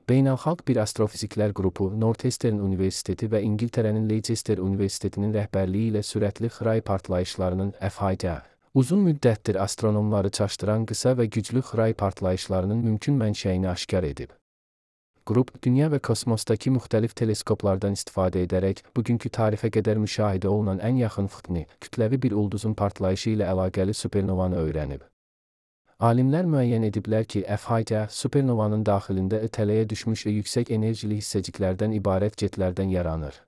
Beynəlxalq bir astrofiziklər qrupu Northeastern Universiteti və İngiltərənin Leicester Universitetinin rəhbərliyi ilə sürətli xray partlayışlarının FHD, uzun müddətdir astronomları çaşdıran qısa və güclü xray partlayışlarının mümkün mənşəyini aşkar edib. Qrup, dünya və kosmosdakı müxtəlif teleskoplardan istifadə edərək, bugünkü tarixə qədər müşahidə olunan ən yaxın fıtni, kütləvi bir ulduzun partlayışı ilə əlaqəli supernovanı öyrənib. Alimlər müəyyən ediblər ki, FHD, supernovanın daxilində tələyə düşmüş yüksək enerjili hissəciklərdən ibarət jetlərdən yaranır.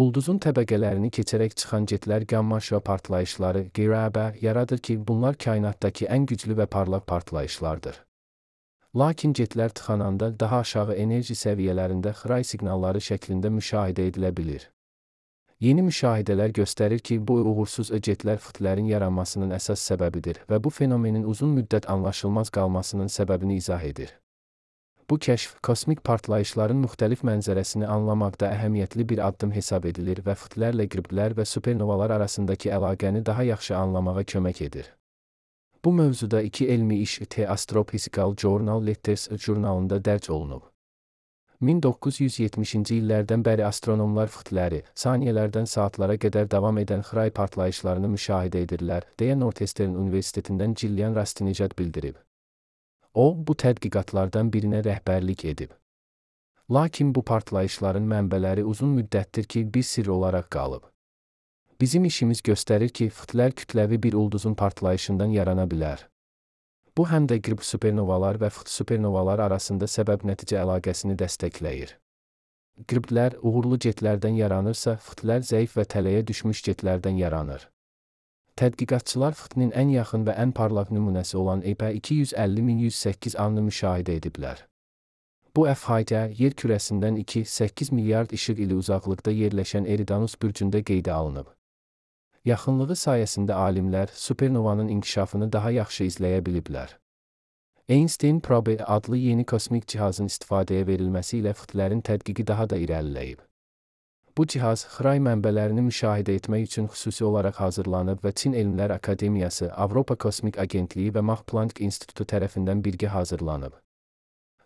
Ulduzun təbəqələrini keçərək çıxan jetlər qamma-şüa partlayışları (GRB) yaradır ki, bunlar kainatdakı ən güclü və parlaq partlayışlardır. Lakin jetlər tıxananda daha aşağı enerji səviyyələrində xray siqnalları şəklində müşahidə edilə bilir. Yeni müşahidələr göstərir ki, bu uğursuz jetlər fıtlərin yaranmasının əsas səbəbidir və bu fenomenin uzun müddət anlaşılmaz qalmasının səbəbini izah edir. Bu kəşf, kosmik partlayışların müxtəlif mənzərəsini anlamaqda əhəmiyyətli bir addım hesab edilir və fıtlərlə qürblər və supernovalar arasındakı əlaqəni daha yaxşı anlamağa kömək edir. Bu mövzuda iki elmi iş The Astrophysical Journal Letters jurnalında dərc olunub. 1970-ci illərdən bəri astronomlar fıtləri, saniyələrdən saatlara qədər davam edən xray partlayışlarını müşahidə edirlər, deyə Northeastern Universitetindən Gillian Rastinejad bildirib. O, bu tədqiqatlardan birinə rəhbərlik edib. Lakin bu partlayışların mənbələri uzun müddətdir ki, bir sirr olaraq qalıb. Bizim işimiz göstərir ki, fıtlər kütləvi bir ulduzun partlayışından yarana bilər. Bu həm də qırb supernovalar və fıt supernovalar arasında səbəb-nəticə əlaqəsini dəstəkləyir. Qırblər uğurlu jetlərdən yaranırsa, fıtlər zəif və tələyə düşmüş jetlərdən yaranır. Tədqiqatçılar fıtnin ən yaxın və ən parlaq nümunəsi olan EPA 250-1108 A-nı müşahidə ediblər. Bu FHD, yer kürəsindən 2,8 milyard işıq ili uzaqlıqda yerləşən Eridanus bürcündə qeydə alınıb. Yaxınlığı sayəsində alimlər supernovanın inkişafını daha yaxşı izləyə biliblər. Einstein Probe adlı yeni kosmik cihazın istifadəyə verilməsi ilə fıtlərin tədqiqi daha da irəliləyib. Bu cihaz, xray mənbələrini müşahidə etmək üçün xüsusi olaraq hazırlanıb və Çin Elmlər Akademiyası, Avropa Kosmik Agentliyi və Max Planck İnstitutu tərəfindən birgə hazırlanıb.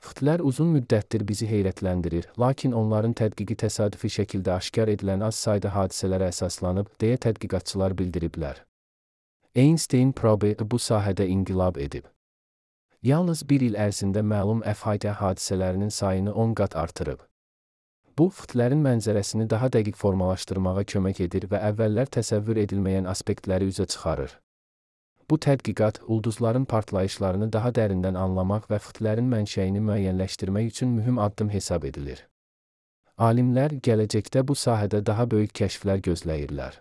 Fıtlər uzun müddətdir bizi heyrətləndirir, lakin onların tədqiqi təsadüfi şəkildə aşkar edilən az sayda hadisələrə əsaslanıb, deyə tədqiqatçılar bildiriblər. Einstein Probe bu sahədə inqilab edib. Yalnız bir il ərzində məlum FHD hadisələrinin sayını 10 qat artırıb. Bu, fıtlərin mənzərəsini daha dəqiq formalaşdırmağa kömək edir və əvvəllər təsəvvür edilməyən aspektləri üzə çıxarır. Bu tədqiqat, ulduzların partlayışlarını daha dərindən anlamaq və fıtlərin mənşəyini müəyyənləşdirmək üçün mühüm addım hesab edilir. Alimlər gələcəkdə bu sahədə daha böyük kəşflər gözləyirlər.